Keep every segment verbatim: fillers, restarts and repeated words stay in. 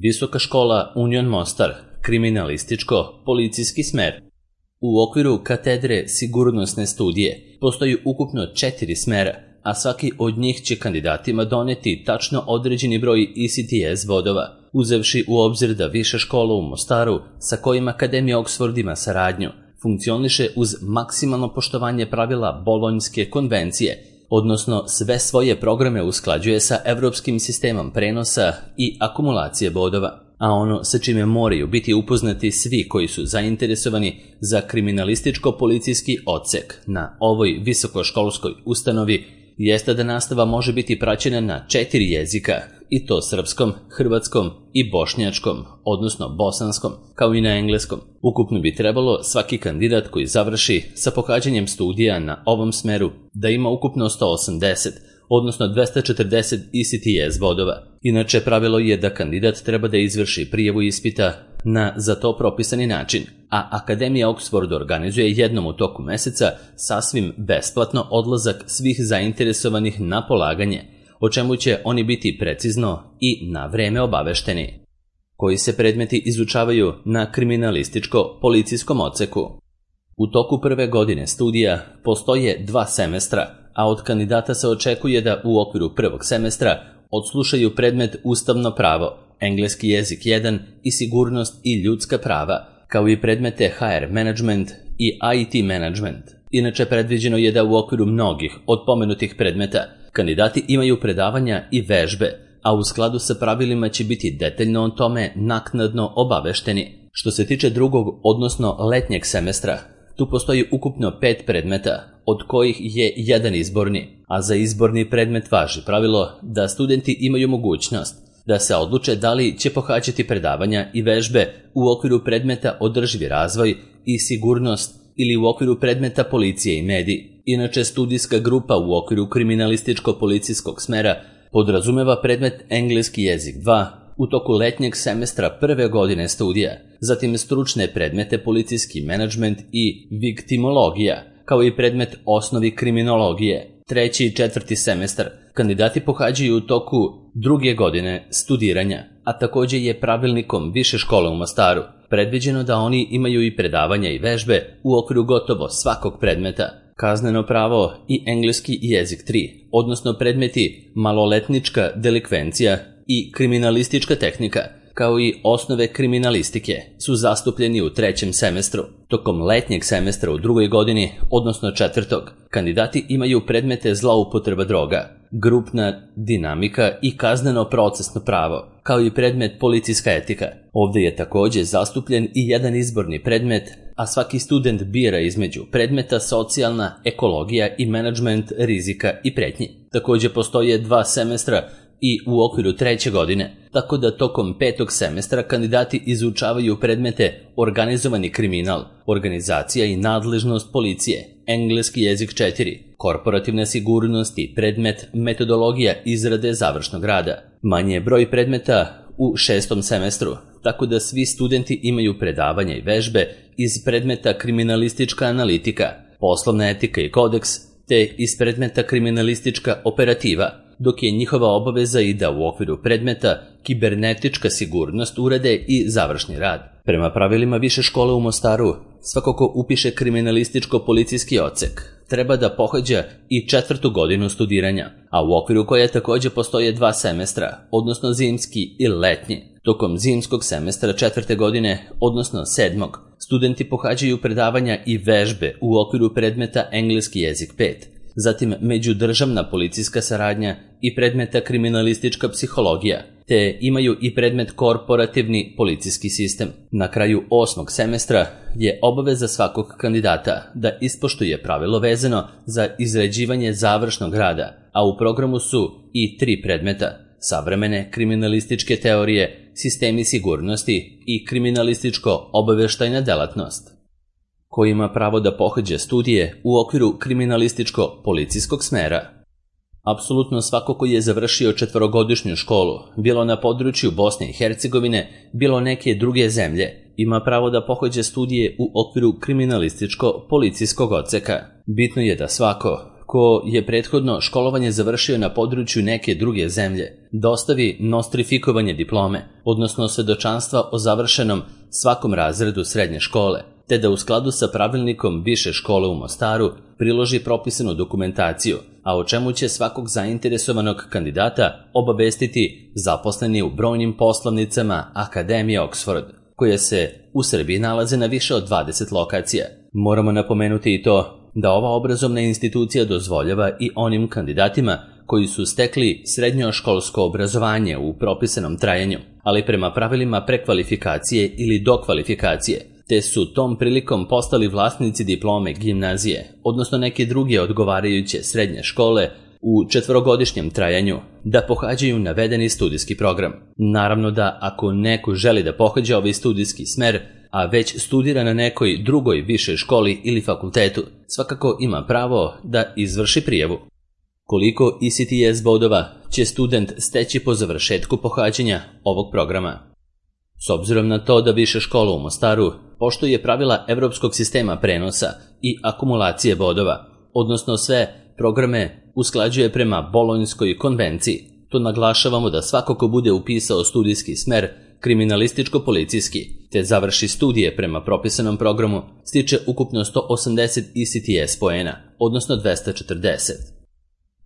Visoka škola Union Mostar, kriminalističko-policijski smer. U okviru katedre sigurnosne studije postoji ukupno četiri smera, a svaki od njih će kandidatima doneti tačno određeni broj E C T S bodova, uzevši u obzir da Viša škola u Mostaru, sa kojim Akademija Oxford ima saradnju, funkcioniše uz maksimalno poštovanje pravila Bolonjske konvencije, odnosno sve svoje programe usklađuje sa evropskim sistemom prenosa i akumulacije bodova, a ono sa čime moraju biti upoznati svi koji su zainteresovani za kriminalističko-policijski odsek na ovoj visokoškolskoj ustanovi jeste da nastava može biti praćena na četiri jezika, i to srpskom, hrvatskom i bošnjačkom, odnosno bosanskom, kao i na engleskom. Ukupno bi trebalo svaki kandidat koji završi sa pohađanjem studija na ovom smeru da ima ukupno sto osamdeset, odnosno dvesta četrdeset E C T S bodova. Inače, pravilo je da kandidat treba da izvrši prijavu ispita na za to propisani način, a Akademija Oxford organizuje jednom u toku meseca sasvim besplatno odlazak svih zainteresovanih na polaganje, o čemu će oni biti precizno i na vreme obavešteni. Koji se predmeti izučavaju na kriminalističko-policijskom odseku? U toku prve godine studija postoje dva semestra, a od kandidata se očekuje da u okviru prvog semestra odslušaju predmet Ustavno pravo, engleski jezik jedan i sigurnost i ljudska prava, kao i predmete H R management i I T management. Inače, predviđeno je da u okviru mnogih od pomenutih predmeta kandidati imaju predavanja i vežbe, a u skladu sa pravilima će biti detaljno o tome naknadno obavešteni. Što se tiče drugog, odnosno letnjeg semestra, tu postoji ukupno pet predmeta, od kojih je jedan izborni, a za izborni predmet važi pravilo da studenti imaju mogućnost da se odluče da li će pohađati predavanja i vežbe u okviru predmeta održivi razvoj i sigurnost ili u okviru predmeta policije i mediji. Inače, studijska grupa u okviru kriminalističko-policijskog smera podrazumeva predmet engleski jezik dva u toku letnjeg semestra prve godine studija, zatim stručne predmete policijski menadžment i viktimologija, kao i predmet osnovi kriminologije. Treći i četvrti semestar kandidati pohađaju u toku druge godine studiranja, a također je pravilnikom Više škole u Mostaru predviđeno da oni imaju i predavanja i vežbe u okviru gotovo svakog predmeta. Kazneno pravo i engleski jezik tri, odnosno predmeti maloletnička delikvencija i kriminalistička tehnika, kao i osnove kriminalistike, su zastupljeni u trećem semestru. Tokom letnjeg semestra u drugoj godini, odnosno četvrtog, kandidati imaju predmete zloupotreba droga, grupna dinamika i kazneno procesno pravo, kao i predmet policijska etika. Ovdje je također zastupljen i jedan izborni predmet, a svaki student bira između predmeta socijalna ekologija i menadžment rizika i pretnji. Također postoje dva semestra i u okviru treće godine, tako da tokom petog semestra kandidati izučavaju predmete organizovani kriminal, organizacija i nadležnost policije, engleski jezik četiri, korporativna sigurnost i predmet metodologija izrade završnog rada. Manje je broj predmeta u šestom semestru, tako da svi studenti imaju predavanja i vežbe iz predmeta kriminalistička analitika, poslovna etika i kodeks, te iz predmeta kriminalistička operativa, dok je njihova obaveza i da u okviru predmeta kibernetička sigurnost urade i završni rad. Prema pravilima Više škole u Mostaru, svako ko upiše kriminalističko-policijski odsek treba da pohađa i četvrtu godinu studiranja, a u okviru koje također postoje dva semestra, odnosno zimski i letnji. Tokom zimskog semestra četvrte godine, odnosno sedmog, studenti pohađaju predavanja i vežbe u okviru predmeta engleski jezik pet, zatim međudržavna policijska saradnja i predmeta kriminalistička psihologija, te imaju i predmet korporativni policijski sistem. Na kraju osmog semestra je obaveza svakog kandidata da ispoštuje pravilo vezano za izrađivanje završnog rada, a u programu su i tri predmeta: savremene kriminalističke teorije, sistemi sigurnosti i kriminalističko-obaveštajna delatnost. Ko ima pravo da pohađa studije u okviru kriminalističko-policijskog smera? Apsolutno svako koji je završio četvorogodišnju školu, bilo na području Bosne i Hercegovine, bilo neke druge zemlje, ima pravo da pohađa studije u okviru kriminalističko-policijskog odseka. Bitno je da svako ko je prethodno školovanje završio na području neke druge zemlje, dostavi nostrifikovanje diplome, odnosno svedočanstva o završenom svakom razredu srednje škole, te da u skladu sa pravilnikom Više škole u Mostaru priloži propisanu dokumentaciju, a o čemu će svakog zainteresovanog kandidata obavestiti zaposleni u brojnim poslovnicama Akademije Oxford, koje se u Srbiji nalaze na više od dvadeset lokacija. Moramo napomenuti i to da ova obrazovna institucija dozvoljava i onim kandidatima koji su stekli srednjoškolsko obrazovanje u propisanom trajanju, ali prema pravilima prekvalifikacije ili dokvalifikacije, te su tom prilikom postali vlasnici diplome gimnazije, odnosno neke druge odgovarajuće srednje škole u četvorogodišnjem trajanju, da pohađaju navedeni studijski program. Naravno da ako neko želi da pohađa ovaj studijski smer, a već studira na nekoj drugoj višoj školi ili fakultetu, svakako ima pravo da izvrši prijavu. Koliko E C T S bodova će student steći po završetku pohađanja ovog programa? S obzirom na to da Više škola u Mostaru poštuje pravila evropskog sistema prenosa i akumulacije bodova, odnosno sve programe usklađuje prema Bolonjskoj konvenciji, to naglašavamo da svako ko bude upisao studijski smer kriminalističko-policijski, te završi studije prema propisanom programu, stiče ukupno sto osamdeset E C T S poena, odnosno dvesta četrdeset.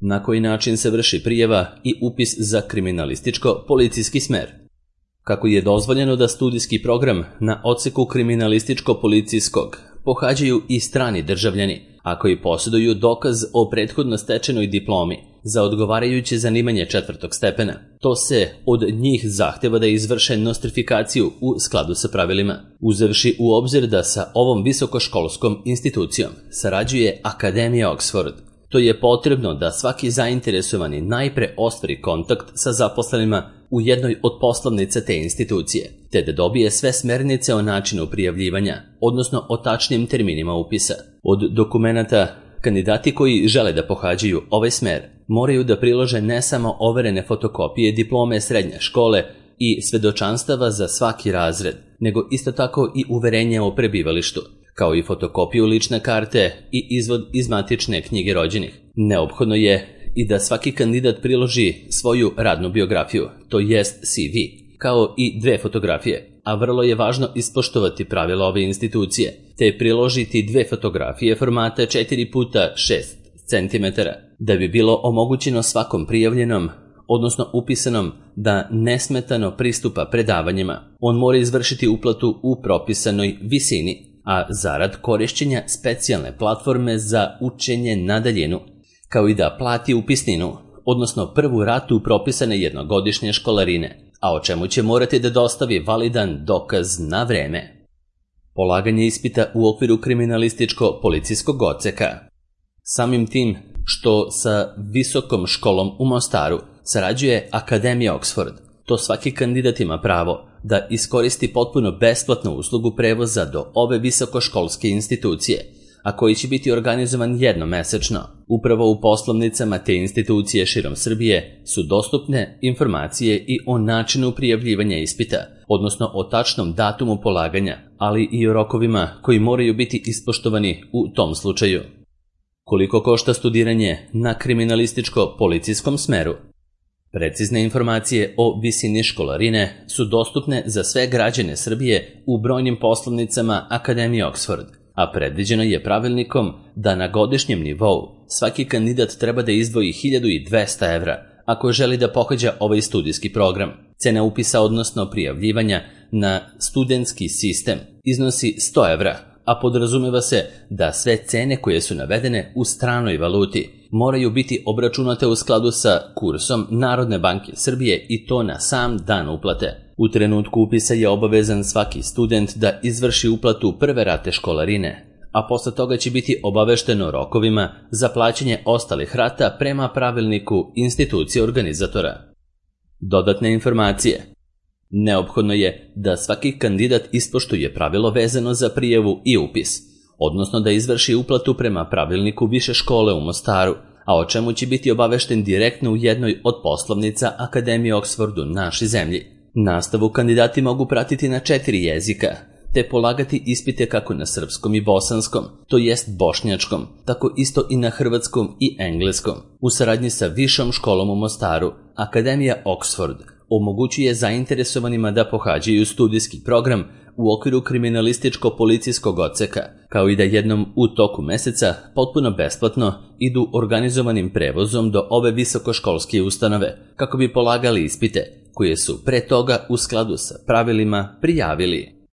Na koji način se vrši prijava i upis za kriminalističko-policijski smer? Kako je dozvoljeno da studijski program na odseku kriminalističko-policijskog pohađaju i strani državljani, a koji posjeduju dokaz o prethodno stečenoj diplomi za odgovarajuće zanimanje četvrtog stepena. To se od njih zahteva da izvrše nostrifikaciju u skladu sa pravilima, uzevši u obzir da sa ovom visokoškolskom institucijom sarađuje Akademija Oxford. To je potrebno da svaki zainteresovani najpre ostvari kontakt sa zaposlenima u jednoj od poslovnica te institucije, te da dobije sve smernice o načinu prijavljivanja, odnosno o tačnim terminima upisa. Od dokumenata, kandidati koji žele da pohađaju ovaj smer moraju da prilože ne samo overene fotokopije diplome srednje škole i svedočanstava za svaki razred, nego isto tako i uverenje o prebivalištu, kao i fotokopiju lične karte i izvod iz matične knjige rođenih. Neophodno je i da svaki kandidat priloži svoju radnu biografiju, to jest C V, kao i dve fotografije, a vrlo je važno ispoštovati pravila ove institucije, te priložiti dve fotografije formata četiri puta šest centimetara, da bi bilo omogućeno svakom prijavljenom, odnosno upisanom, da nesmetano pristupa predavanjima. On mora izvršiti uplatu u propisanoj visini, a zarad korišćenja specijalne platforme za učenje na daljinu, kao i da plati upisninu, odnosno prvu ratu propisane jednogodišnje školarine, a o čemu će morati da dostavi validan dokaz na vreme. Polaganje ispita u okviru kriminalističko-policijskog odseka. Samim tim što sa visokom školom u Mostaru sarađuje Akademija Oxford, to svaki kandidat ima pravo da iskoristi potpuno besplatnu uslugu prevoza do ove visokoškolske institucije, a koji će biti organizovan jednomesečno. Upravo u poslovnicama te institucije širom Srbije su dostupne informacije i o načinu prijavljivanja ispita, odnosno o tačnom datumu polaganja, ali i o rokovima koji moraju biti ispoštovani u tom slučaju. Koliko košta studiranje na kriminalističko-policijskom smeru? Precizne informacije o visini školarine su dostupne za sve građane Srbije u brojnim poslovnicama Akademije Oxford, a predviđeno je pravilnikom da na godišnjem nivou svaki kandidat treba da izdvoji hiljadu dvesta evra ako želi da pohađa ovaj studijski program. Cena upisa, odnosno prijavljivanja na studentski sistem, iznosi sto evra, a podrazumeva se da sve cene koje su navedene u stranoj valuti moraju biti obračunate u skladu sa kursom Narodne banke Srbije i to na sam dan uplate. U trenutku upisa je obavezan svaki student da izvrši uplatu prve rate školarine, a posle toga će biti obavešteno rokovima za plaćanje ostalih rata prema pravilniku institucije organizatora. Dodatne informacije. Neophodno je da svaki kandidat ispoštuje pravilo vezano za prijavu i upis, odnosno da izvrši uplatu prema pravilniku Više škole u Mostaru, a o čemu će biti obavešten direktno u jednoj od poslovnica Akademije Oxford u našoj zemlji. Nastavu kandidati mogu pratiti na četiri jezika, te polagati ispite kako na srpskom i bosanskom, to jest bošnjačkom, tako isto i na hrvatskom i engleskom. U saradnji sa Višom školom u Mostaru, Akademija Oxford omogućuje zainteresovanima da pohađaju studijski program u okviru kriminalističko-policijskog odseka, kao i da jednom u toku meseca potpuno besplatno idu organizovanim prevozom do ove visokoškolske ustanove, kako bi polagali ispite, koje su pre toga u skladu sa pravilima prijavili.